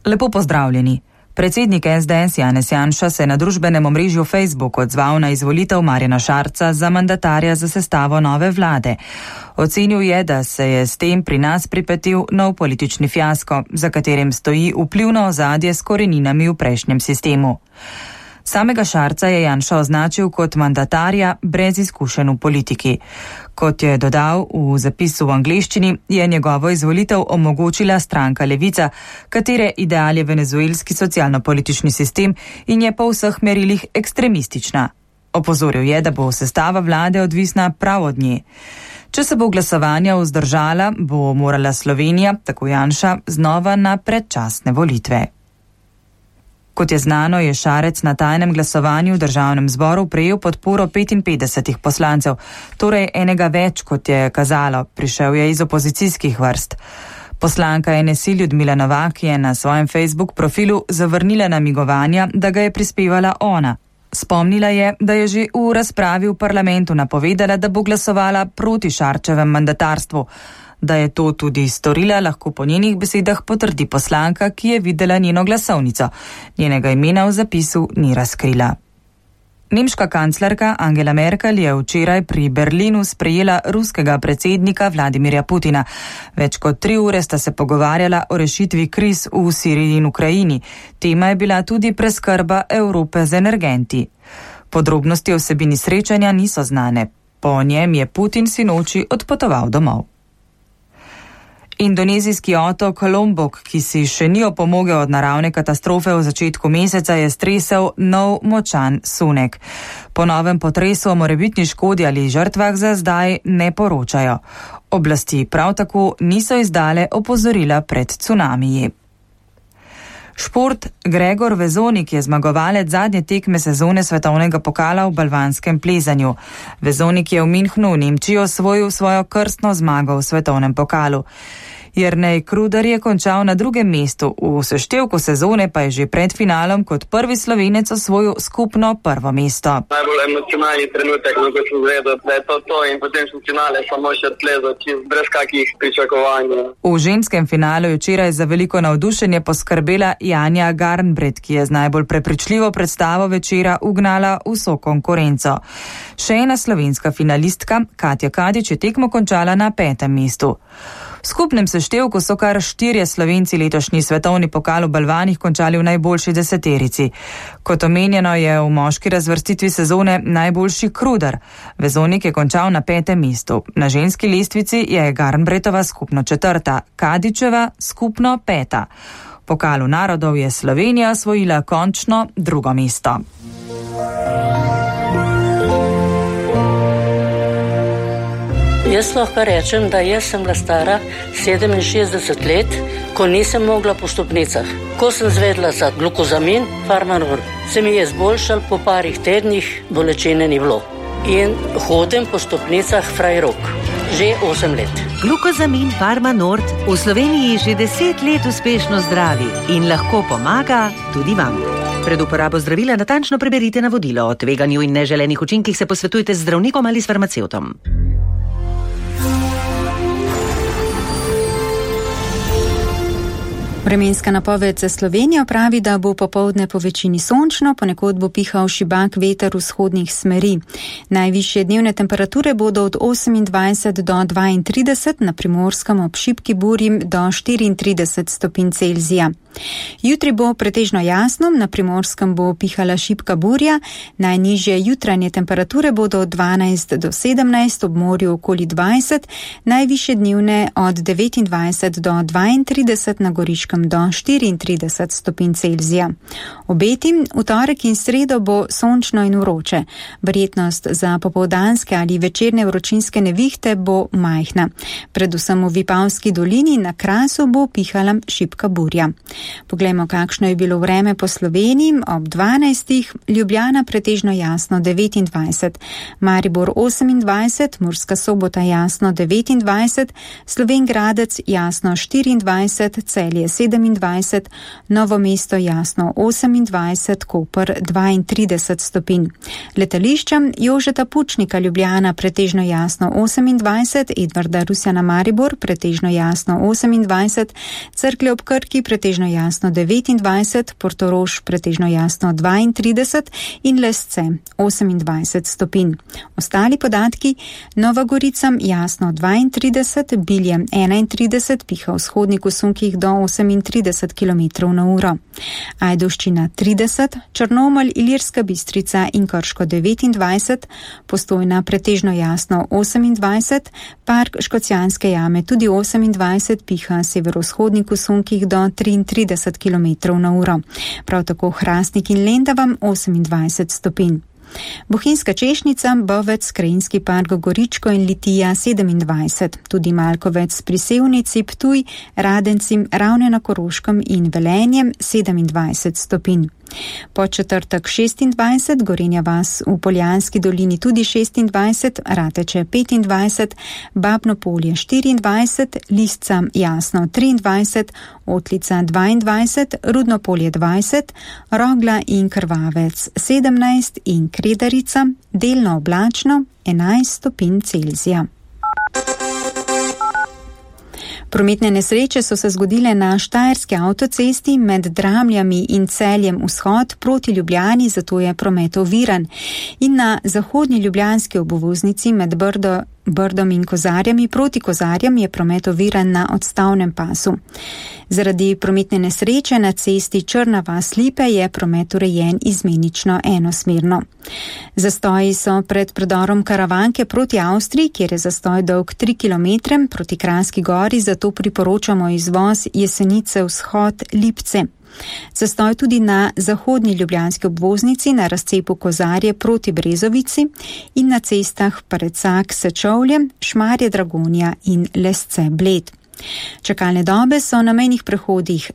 Lepo pozdravljeni. Predsednik SDS Janez Janša se je na družbenem omrežju Facebook odzval na izvolitev Marjana Šarca za mandatarja za sestavo nove vlade. Ocenil je, da se je s tem pri nas pripetil nov politični fiasko, za katerim stoji vplivno ozadje s koreninami v prejšnjem sistemu. Samega Šarca je Janša označil kot mandatarja brez izkušenj v politiki. Kot je dodal v zapisu v angleščini, je njegovo izvolitev omogočila stranka Levica, katere ideal je venezuelski socialno-politični sistem in je po vseh merilih ekstremistična. Opozoril je, da bo sestava vlade odvisna prav od nje. Če se bo glasovanja vzdržala, bo morala Slovenija, tako Janša, znova na predčasne volitve. Kot je znano, je Šarec na tajnem glasovanju v državnem zboru prejel podporo 55 poslancev, torej enega več, kot je kazalo, prišel je iz opozicijskih vrst. Poslanka NSI Ljudmila Novak je na svojem Facebook profilu zavrnila namigovanja, da ga je prispevala ona. Spomnila je, da je že v razpravi v parlamentu napovedala, da bo glasovala proti Šarčevem mandatarstvu. Da je to tudi storila, lahko po njenih besedah potrdi poslanka, ki je videla njeno glasovnico. Njenega imena v zapisu ni razkrila. Nemška kanclerka Angela Merkel je včeraj pri Berlinu sprejela ruskega predsednika Vladimirja Putina. Več kot 3 ure sta se pogovarjala o rešitvi kriz v Siriji in Ukrajini. Tema je bila tudi preskrba Evrope z energenti. Podrobnosti o vsebini srečanja niso znane. Po njem je Putin sinoči odpotoval domov. Indonezijski otok Lombok, ki si še ni opomogel od naravne katastrofe v začetku meseca, je stresel nov močan sunek. Po novem potresu o morebitni škodi ali žrtvah za zdaj ne poročajo. Oblasti prav tako niso izdale opozorila pred cunamiji. Šport. Gregor Vezonik je zmagovalec zadnje tekme sezone svetovnega pokala v balvanskem plezanju. Vezonik je v Münchnu v Nemčiji osvojil svojo krstno zmago v svetovnem pokalu. Jernej Kruder je končal na 2. mestu, v seštevku sezone pa je že pred finalom kot prvi Slovenec osvojil skupno 1. mesto. Najbolj emocionalni trenutek, ko sem zvedel, da je to in potem sem finale samo še odplezal, brez kakih pričakovanj. V ženskem finalu je včeraj za veliko navdušenje poskrbela Janja Garnbret, ki je z najbolj prepričljivo predstavo večera ugnala vso konkurenco. Še ena slovenska finalistka, Katja Kadič, je tekmo končala na 5. mestu. V skupnem seštevku so kar 4 Slovenci letošnji svetovni pokal v balvanih končali v najboljši deseterici. Kot omenjeno je v moški razvrstitvi sezone najboljši Kruder. Vezonik je končal na 5. mestu. Na ženski lestvici je Garnbretova skupno 4., Kadičeva skupno 5. V pokalu narodov je Slovenija osvojila končno 2. mesto. Jaz lahko rečem, da jaz sem bila stara 67 let, ko nisem mogla po stopnicah. Ko sem zvedla za glukozamin, Farmanor, se mi je zboljšal, po parih tednih bolečine ni bilo. In hodim po stopnicah Frajrok. Že 8 let. Glukozamin Farmanord v Sloveniji že 10 let uspešno zdravi in lahko pomaga tudi vam. Pred uporabo zdravila natančno preberite navodilo. O tveganju in neželenih učinkih se posvetujte z zdravnikom ali s farmacevtom. Vremenska napoved za Slovenijo pravi, da bo popoldne po večini sončno, ponekod bo pihal šibak veter vzhodnih smeri. Najvišje dnevne temperature bodo od 28 do 32, na Primorskem ob šibki burji do 34 stopinj Celzija. Jutri bo pretežno jasno, na Primorskem bo pihala šibka burja, najnižje jutranje temperature bodo od 12 do 17, ob morju okoli 20, najvišje dnevne od 29 do 32, na Goriškem do 34 stopinj Celzija. Obeti v torek in sredo bo sončno in vroče. Verjetnost za popoldanske ali večerne vročinske nevihte bo majhna. Predvsem v Vipavski dolini na Krasu bo pihala šibka burja. Poglejmo, kakšno je bilo vreme po Sloveniji. Ob 12. Ljubljana pretežno jasno 29, Maribor 28, Murska Sobota jasno 29, Slovenj Gradec jasno 24, Celje 27, Novo mesto jasno 28, Koper 32 stopinj. Letališča Jožeta Pučnika Ljubljana pretežno jasno 28, Edvarda Rusjana Maribor pretežno jasno 28, Cerklje ob Krki pretežno jasno 29, Portorož pretežno jasno 32 in Lesce 28 stopinj. Ostali podatki: Nova Gorica jasno 32, Bilje 31, piha v vzhodnih usunkih do 38 km/h. Ajdovščina 30, Črnomelj, Ilirska Bistrica in Krško 29, Postojna pretežno jasno 28, Park Škocjanske jame tudi 28, piha severovzhodnih usunkih do 33 km/h. Prav tako Hrastnik in Lendava 28 stopinj. Bohinjska Češnica, Bovec, Krajinski park Goričko in Litija 27, tudi Malkovec pri Sevnici, Ptuj, Radenci, Ravne na Koroškem in Velenjem 27 stopinj. Podčetrtek 26, Gorenja vas v Poljanski dolini tudi 26, Rateče 25, Babno Polje 24, Lisca jasno 23, Otlica 22, Rudno Polje 20, Rogla in Krvavec 17 in Kredarica delno oblačno 11 stopinj Celzija. Prometne nesreče so se zgodile na Štajerski avtocesti med Dramljami in Celjem vzhod proti Ljubljani, zato je promet oviran. In na zahodni ljubljanski obvoznici med Brdom in Kozarjami proti Kozarjem je promet oviran na odstavnem pasu. Zaradi prometne nesreče na cesti Črna vas-Lipe je promet urejen izmenično enosmerno. Zastoji so pred predorom Karavanke proti Avstriji, kjer je zastoj dolg 3 km, proti Kranjski gori, zato priporočamo izvoz Jesenice vzhod Lipce. Zastoj tudi na zahodni ljubljanski obvoznici na razcepu Kozarje proti Brezovici in na cestah Parecak Sečovlje, Šmarje Dragonja in Lesce Bled. Čakalne dobe so na mejnih prehodih